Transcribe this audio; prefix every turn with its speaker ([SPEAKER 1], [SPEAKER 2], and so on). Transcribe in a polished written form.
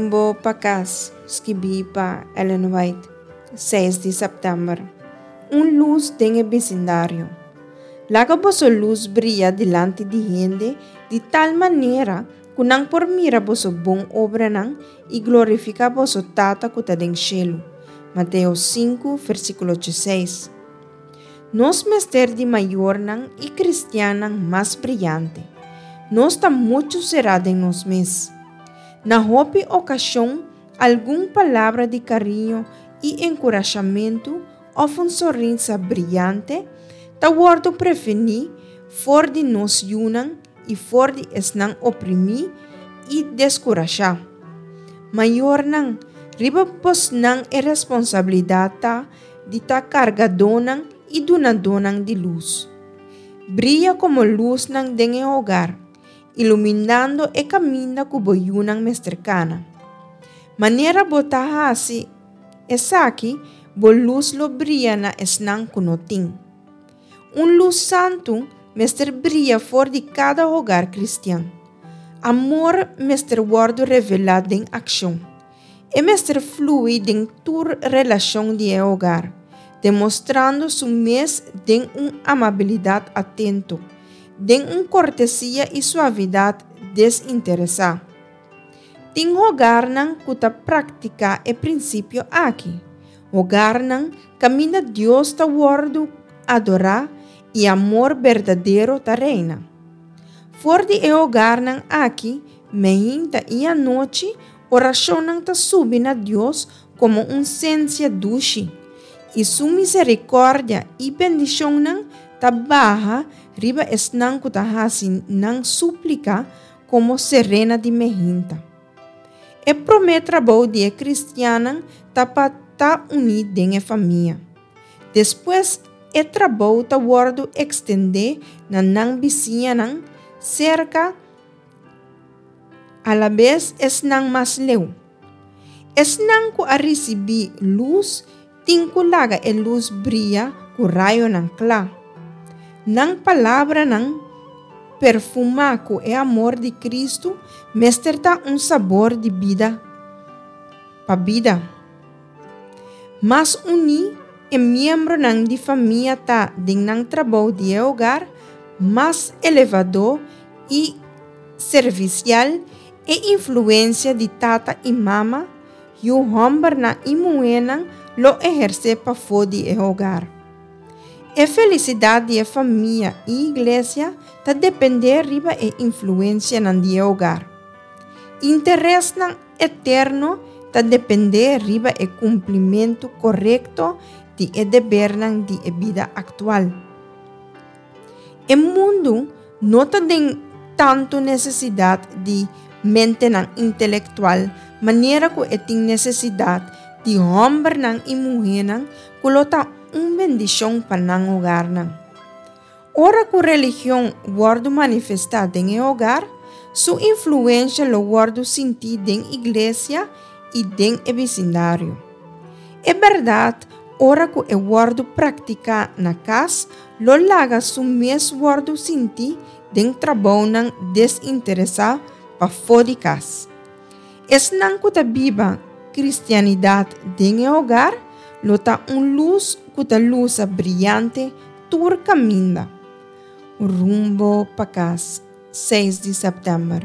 [SPEAKER 1] Rumbo pa Kas, skibí pa Ellen White, seis di sèptèmber. Un lus den e bisindario. Laga boso lus bria dilanti di hende di tal manera ku nan por mira boso bon obranan i glorifiká boso Tata ku ta den shelu. Mateo sinku, versíkulo dieseis. Nos mester di mayornan i kristiannan mas briyante. Nos ta muchu será den nos mes. Na hopi okashon, algun palabra di kariño i enkurashamentu òf un sonrisa briyante ta wòrdu prevení for di nos yunan i for di esnan oprimí i deskurashá. Mayornan, riba bosnan e responsabilidat ta di ta kargadónan i dunadónan di lus. Bria komo lusnan den e hogar, iluminando e kaminda ku bo yunan mester kana. Manera bo ta hasi esaki, bo lus lo bria na esnan ku no tin. Un lus santu mester bria for di kada hogar kristian. Amor mester wòrdu revelá den akshon. E mester flui den tur relashon di e hogar, demostrando su mes den un amabilidat atento, den un kortesia i suavidat desinteresá. Tin hogarnan ku ta praktiká e prinsipio aki, hogarnan kaminda Dios ta wòrdu adorá i amor berdadero ta reina. For di e hogarnan aki, meinta i anochi, Orashonnan ta subi na Dios komo un sensia dushi, i su miserikòrdia i bendishonnan ta baha riba esnan ku ta hasi nan súplika komo serena di mehinta. E promé trabou di e kristiannan ta pa ta uní den e famia. Despues e trabou ta wòrdu ekstendé na nan bisiñanan serka. Alabes esnan mas leu. Esnan ku a risibí lus tin ku laga e lus bria ku rayonan kla. Nan palabranan perfumá ku e amor di Kristu mester ta un sabor di bida pa bida. Mas uní e miembronan di famia ta den nan trabou di e hogar, mas elevadó i servisial e influensia di tata i mama, yu hòmbernan i muhénan lo ehersé pafó di e hogar. E felisidat di e famia i iglesia ta dependé riba e influensianan di e hogar. Interesnan eterno ta dependé riba e kumplimentu korekto di e debernan di e bida aktual. E mundu no ta den tantu nesesidat di mentenan intelektual manera ku e tin nesesidat di hòmbernan i muhénan ku lo ta un bendishon pa nan hogarnan. Ora ku religion wòrdu manifestá den e hogar, su influensha lo wòrdu sintí den iglesia i den e bisindario. E bèrdat ora ku e wòrdu praktiká na kas lo laga su mes wòrdu sinti den trabounan desinteresá pafó di kas. Esnan ku ta biba kristianidat den e hogar lo ta un lus ku ta lusa briante tur kaminda. Rumbo pa kas, seis di sèptèmber.